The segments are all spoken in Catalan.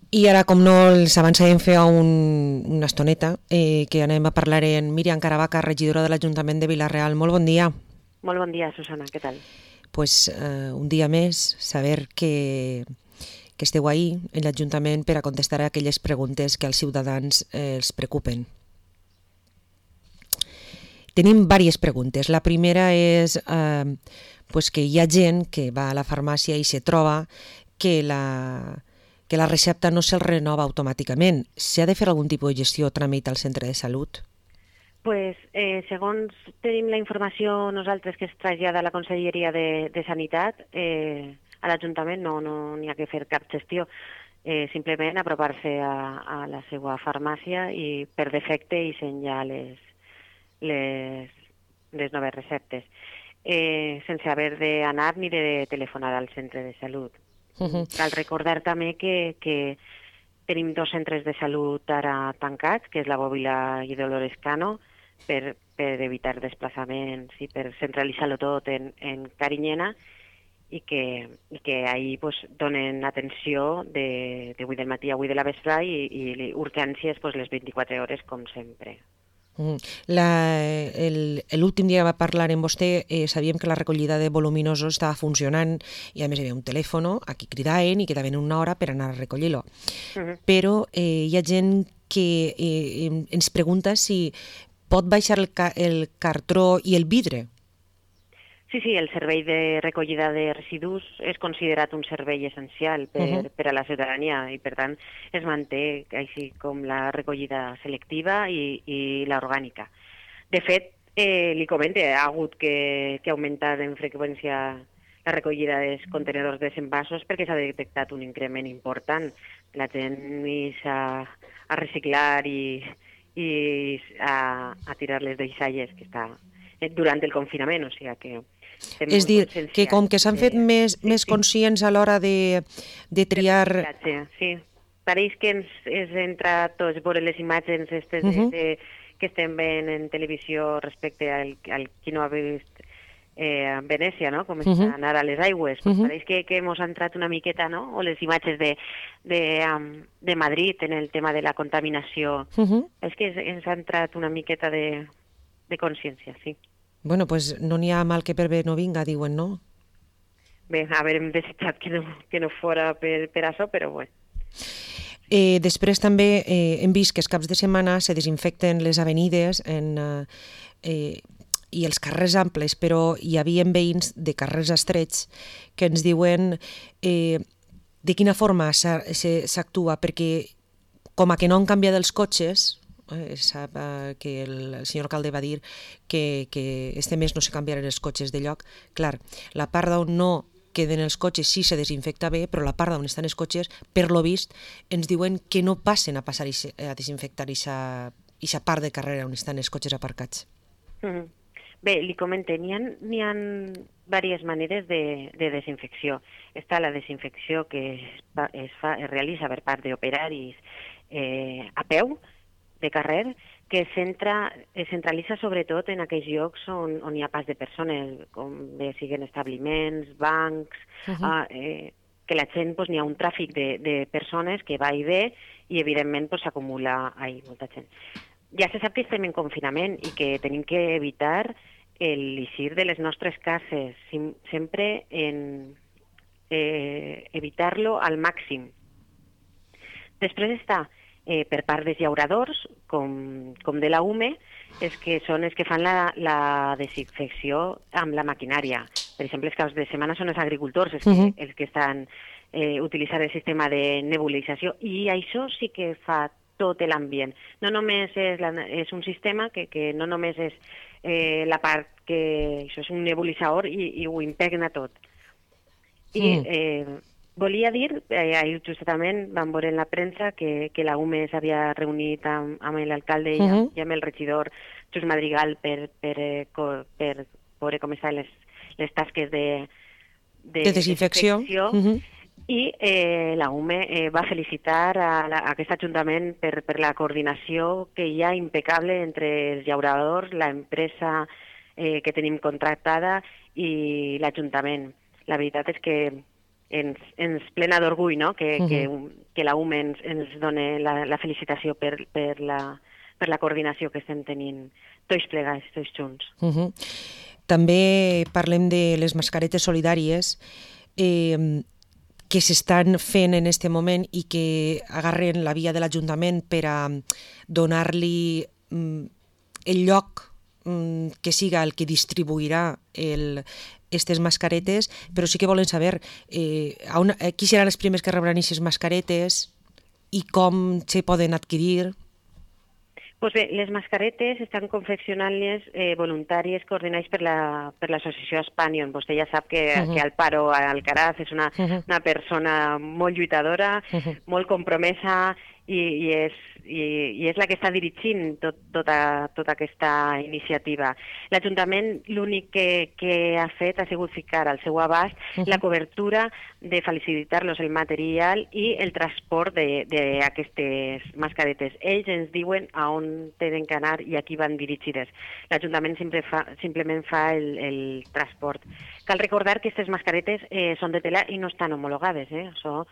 I ara, com no, els avançàvem fer una estoneta, que anem a parlar amb Míriam Caravaca, regidora de l'Ajuntament de Vila-real. Molt bon dia. Molt bon dia, Susana, què tal? Pues un dia més, saber que esteu ahí en l'Ajuntament per a contestar a aquelles preguntes que als ciutadans els preocupen. Tenim diverses preguntes. La primera és pues que hi ha gent que va a la farmàcia i se troba que la recepta no se'l renova automàticament. S'ha de fer algun tipus de gestió o tràmit al centre de salut? Pues, segons tenim la informació nosaltres que es trasllada a la Conselleria de Sanitat, a l'Ajuntament no n'hi ha que fer cap gestió, simplement apropar-se a la seva farmàcia i per defecte i ja les noves receptes, sense haver d'anar ni de telefonar al centre de salut. Cal recordar també que tenim 2 centres de salut ara tancats, que és la Bòbila i Dolores Cano, per evitar desplaçaments i per centralitzar-lo tot en Carinyena, i que ahir pues, donen atenció de 8 del matí a 8 de la vesprà i urgències pues, les 24 hores, com sempre. L'últim dia que va parlar amb vostè sabíem que la recollida de voluminosos estava funcionant i a més hi havia un telèfon a qui cridaven i que daven una hora per anar a recollir-lo. Però hi ha gent que ens pregunta si pot baixar el cartró i el vidre. Sí, el servei de recollida de residus és considerat un servei essencial per a la ciutadania i, per tant, es manté així com la recollida selectiva i l'orgànica. De fet, li comente, ha hagut que augmentar en freqüència la recollida dels contenedors de envasos perquè s'ha detectat un increment important. La gent a reciclar i a tirar les deixalles que està durant el confinament, o sigui que... És dir, que com que s'han fet més conscients a l'hora de triar... Sí, pareix que ens entra tots veure les imatges que estem veient en televisió respecte al qui no ha vist Venècia, no? Com està anar a les aigües. Pareix que ens ha entrat una miqueta, no? O les imatges de Madrid en el tema de la contaminació. És que ens ha entrat una miqueta de consciència, sí. Bueno, pues no n'hi ha mal que per bé no vinga, diuen, no? Bé, haurem desitjat que no fora per això, però bé. Després també hem vist que els caps de setmana se desinfecten les avenides i els carrers amples, però hi havia veïns de carrers estrets que ens diuen de quina forma s'actua, perquè com a que no han canviat els cotxes, sap que el senyor alcalde va dir que este mes no se canviaran els cotxes de lloc. Clar, la part d'on no queden els cotxes sí se desinfecta bé, però la part d'on estan els cotxes, per lo vist, ens diuen que no passen a desinfectar aquesta part de carrera on estan els cotxes aparcats. Bé, li comento, n'hi ha diverses maneres de desinfecció. Està la desinfecció que es realitza per part d'operaris a peu, de carrer, que es centralitza sobretot en aquells llocs on hi ha pas de persones, com bé siguin establiments, bancs, que la gent n'hi ha un tràfic de persones que va i ve i evidentment s'acumula molta gent. Ja se sap que estem en confinament i que tenim que evitar l'eixir de les nostres cases, sempre evitar-lo al màxim. Després està per part dels llauradors, com de la UME, és que són els que fan la desinfecció amb la maquinària. Per exemple, els caps de setmana són els agricultors els que estan utilitzant el sistema de nebulització, i això sí que fa tot l'ambient. No només és un sistema que no només és la part que això és un nebulitzador i ho impregna tot. I volia dir, ahir justament vam veure en la premsa que la UME s'havia reunit amb l'alcalde i amb el regidor Just Madrigal per veure com estan les tasques de desinfecció. I la UME va felicitar a aquest ajuntament per la coordinació que hi ha impecable entre els llauradors, l'empresa que tenim contractada i l'Ajuntament. La veritat és que ens plena d'orgull, no? Que la UME ens doni la felicitació per la coordinació que estem tenint tots plegats, tots junts. També parlem de les mascaretes solidàries que s'estan fent en aquest moment i que agarren la via de l'Ajuntament per a donar-li el lloc que siga el que distribuirà aquestes mascaretes, però sí que volen saber qui seran els primers que rebran aquestes mascaretes i com se poden adquirir. Pues bé, les mascaretes estan confeccionant-les voluntàries coordinades per l'associació Espanion. Vostè ja sap que Alparo Alcaraz és una persona molt lluitadora, molt compromesa i és la que està dirigint tota aquesta iniciativa. L'Ajuntament l'únic que ha fet ha sigut ficar al seu abast la cobertura de facilitar-los el material i el transport d'aquestes mascaretes. Ells ens diuen a on tenen que anar i a qui van dirigides. L'Ajuntament simplement fa el transport. Cal recordar que aquestes mascaretes són de tela i no estan homologades. Això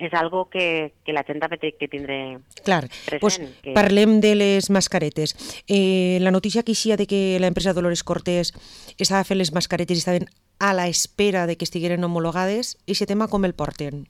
és algo que la gent ha de tindre present. Pues parlem de les mascaretes. La notícia que eixia de que l'empresa Dolores Cortés estava fent les mascaretes i estaven a la espera de que estigueren homologades, aquest tema com el porten?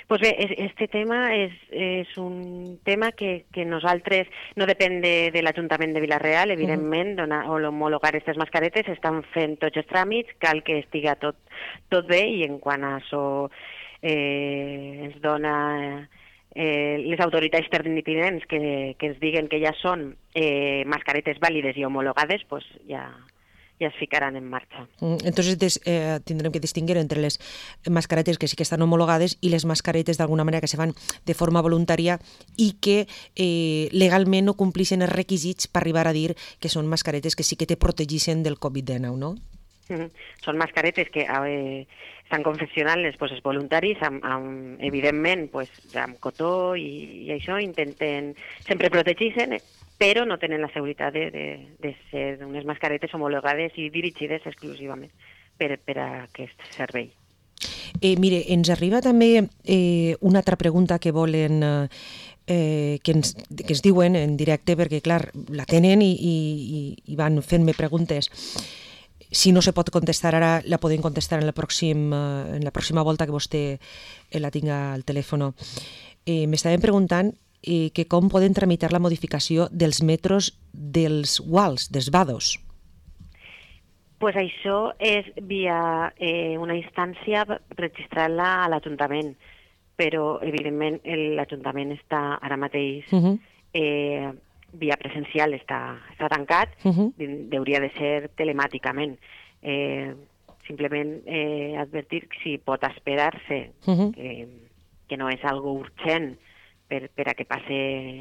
Pues bé, este tema és un tema que nosaltres no depèn de l'Ajuntament de Vila-real, evidentment, homologar aquestes mascaretes, estan fent tots els tràmits, cal que estiga tot bé i en quant a això ens dona les autoritats pertinents que ens diguen que ja són mascaretes vàlides i homologades, pues ja es ficaran en marxa. Entonces tindrem que distingir entre les mascaretes que sí que estan homologades i les mascaretes d'alguna manera que se fan de forma voluntària i que legalment no complixen els requisits per arribar a dir que són mascaretes que sí que te protegixen del Covid-19, no? Són mascaretes que estan confeccionant-les els voluntaris, evidentment, amb cotó i això, intenten sempre protegir-se, però no tenen la seguretat de ser unes mascaretes homologades i dirigides exclusivament per a aquest servei. Mire, ens arriba també una altra pregunta que volen que ens diuen en directe, perquè clar, la tenen i van fent-me preguntes. Si no se pot contestar ara, la podem contestar en la pròxima volta que vostè la tinga al telèfon. M'estaven preguntant que com poden tramitar la modificació dels metros dels UALs, dels VADOs. Pues això és via una instància registrant-la a l'Ajuntament, però evidentment l'Ajuntament està ara mateix via presencial, està tancat, hauria de ser telemàticament. Simplement advertir que si pot esperar-se, que no és algo urgent per a que passe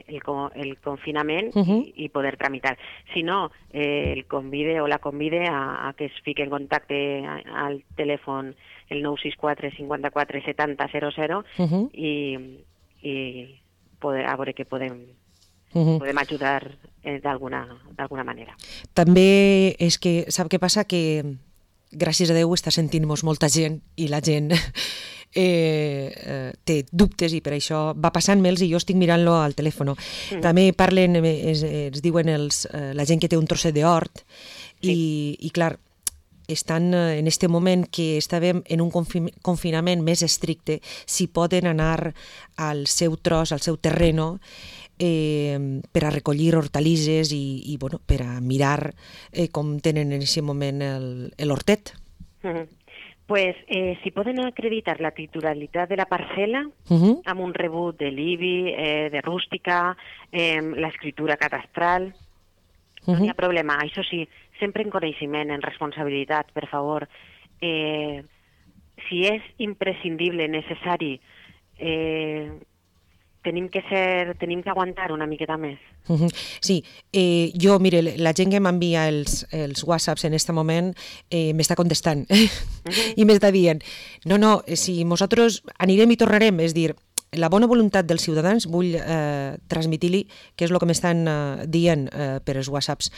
el confinament i poder tramitar. Si no, el convide o la convide a que es fique en contacte al telèfon el 964 54 70 00 i a veure què podem ajudar d'alguna manera. També és que, sap què passa? Que gràcies a Déu està sentint-nos molta gent i la gent té dubtes i per això va passant-me'ls i jo estic mirant-lo al telèfon. També parlen, ens diuen la gent que té un trosset d'hort i clar, estan en aquest moment que estàvem en un confinament més estricte, si poden anar al seu tros, al seu terreno, per a recollir hortalisses i per a mirar com tenen en aquest moment l'hortet. Pues si poden acreditar la titularitat de la parcel·la amb un rebut de l'IBI, de rústica, l'escriptura catastral, no hi ha problema. Això sí, sempre en coneixement, en responsabilitat, per favor. Si és imprescindible, necessari, tenim que aguantar una miqueta més. Sí, jo, mire, la gent que m'envia els whatsapps en aquest moment m'està contestant i m'està dient, no, si nosaltres anirem i tornarem, és dir, la bona voluntat dels ciutadans vull transmitir-li què és el que m'estan dient per els whatsapps,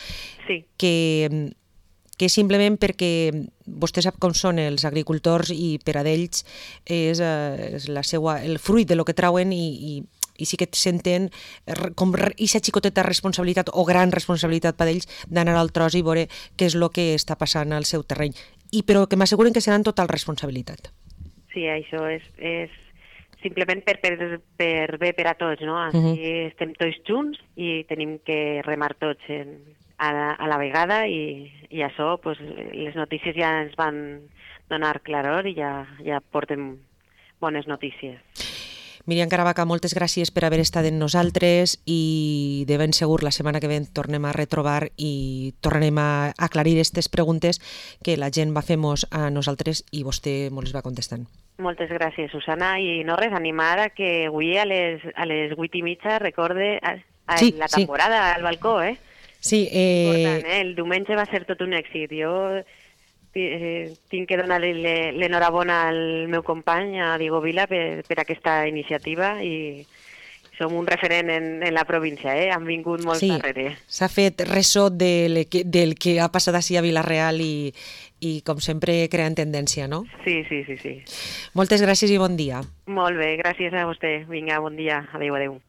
que simplement perquè vostè sap com són els agricultors i per a d'ells és el fruit de lo que trauen i sí que senten com aquesta xicoteta responsabilitat o gran responsabilitat per ells d'anar al tros i veure què és el que està passant al seu terreny. Però que m'asseguren que serà en total responsabilitat. Sí, això és simplement per bé per a tots, no? Així estem tots junts i tenim que remar tots a la vegada i això, pues, les notícies ja ens van donar claror i ja portem bones notícies. Míriam Caravaca, moltes gràcies per haver estat amb nosaltres i de ben segur la setmana que ve tornem a retrobar i tornarem a aclarir aquestes preguntes que la gent va fer-nos a nosaltres i vostè mos les va contestant. Moltes gràcies, Susana, i no res, animar a que avui a les 8:30 recorde la temporada al balcó, eh? Sí. Important, el diumenge va ser tot un èxit. Jo tinc que donar-li l'enhorabona al meu company, a Diego Vila, per aquesta iniciativa i som un referent en la província, han vingut molt darrere. S'ha fet ressò del que ha passat així a Vila-real i com sempre creant tendència, no? Sí. Moltes gràcies i bon dia. Molt bé, gràcies a vostè. Vinga, bon dia. Adéu.